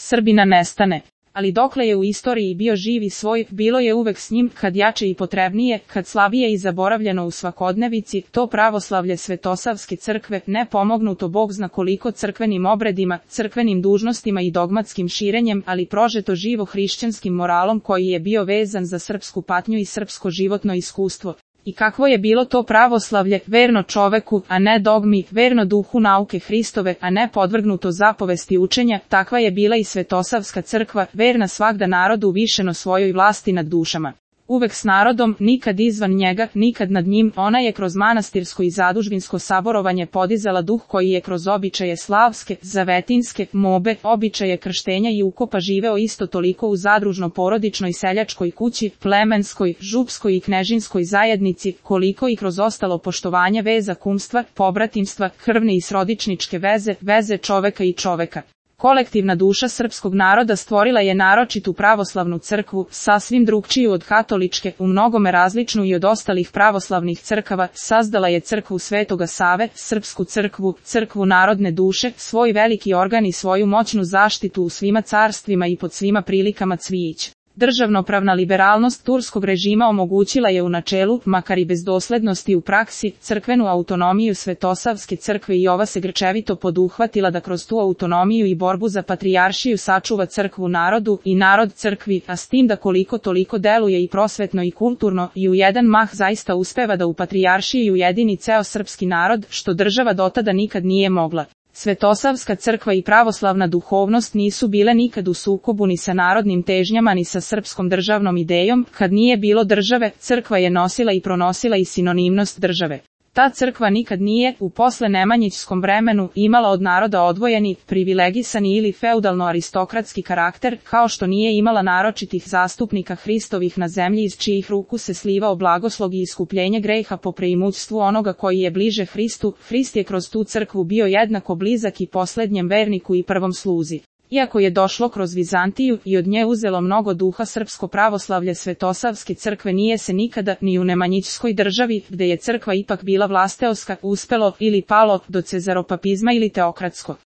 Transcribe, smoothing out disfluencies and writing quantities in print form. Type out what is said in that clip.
Srbina nestane. Ali dokle je u istoriji bio živ i svoj, bilo je uvek s njim, kad jače i potrebnije, kad slabije i zaboravljeno u svakodnevici, to pravoslavlje Svetosavske crkve, ne pomognuto Bog zna koliko crkvenim obredima, crkvenim dužnostima i dogmatskim širenjem, ali prožeto živo hrišćanskim moralom koji je bio vezan za srpsku patnju i srpsko životno iskustvo. I kakvo je bilo to pravoslavlje, verno čoveku, a ne dogmi, verno duhu nauke Hristove, a ne podvrgnuto zapovesti učenja, takva je bila i Svetosavska crkva, verna svagda narodu uvišeno svojoj vlasti nad dušama. Uvek s narodom, nikad izvan njega, nikad nad njim, ona je kroz manastirsko i zadužbinsko saborovanje podizala duh koji je kroz običaje slavske, zavetinske, mobe, običaje krštenja i ukopa živeo isto toliko u zadružno-porodičnoj seljačkoj kući, plemenskoj, župskoj i knežinskoj zajednici, koliko i kroz ostalo poštovanje veza kumstva, pobratimstva, krvne i srodičničke veze, veze čoveka i čoveka. Kolektivna duša srpskog naroda stvorila je naročitu pravoslavnu crkvu, sasvim drugčiju od katoličke, u mnogome različnu i od ostalih pravoslavnih crkava, sazdala je crkvu Svetoga Save, srpsku crkvu, crkvu narodne duše, svoj veliki organ i svoju moćnu zaštitu u svima carstvima i pod svima prilikama cvijić. Državnopravna liberalnost turskog režima omogućila je u načelu, makar i bez doslednosti u praksi, crkvenu autonomiju Svetosavske crkve i ova se grčevito poduhvatila da kroz tu autonomiju i borbu za patrijaršiju sačuva crkvu narodu i narod crkvi, a s tim da koliko toliko deluje i prosvetno i kulturno i u jedan mah zaista uspeva da u patrijaršiji ujedini ceo srpski narod, što država dotada nikad nije mogla. Svetosavska crkva i pravoslavna duhovnost nisu bile nikad u sukobu ni sa narodnim težnjama ni sa srpskom državnom idejom, kad nije bilo države, crkva je nosila i pronosila i sinonimnost države. Ta crkva nikad nije, u posle nemanjićskom vremenu, imala od naroda odvojeni, privilegisani ili feudalno-aristokratski karakter, kao što nije imala naročitih zastupnika Hristovih na zemlji iz čijih ruku se slivao blagoslov i iskupljenje greha po preimućstvu onoga koji je bliže Hristu. Hrist je kroz tu crkvu bio jednako blizak i poslednjem verniku i prvom sluzi. Iako je došlo kroz Vizantiju i od nje uzelo mnogo duha srpsko pravoslavlje Svetosavske crkve nije se nikada, ni u nemanjićskoj državi, gde je crkva ipak bila vlasteoska, uspelo ili palo do cezaropapizma ili teokratsko.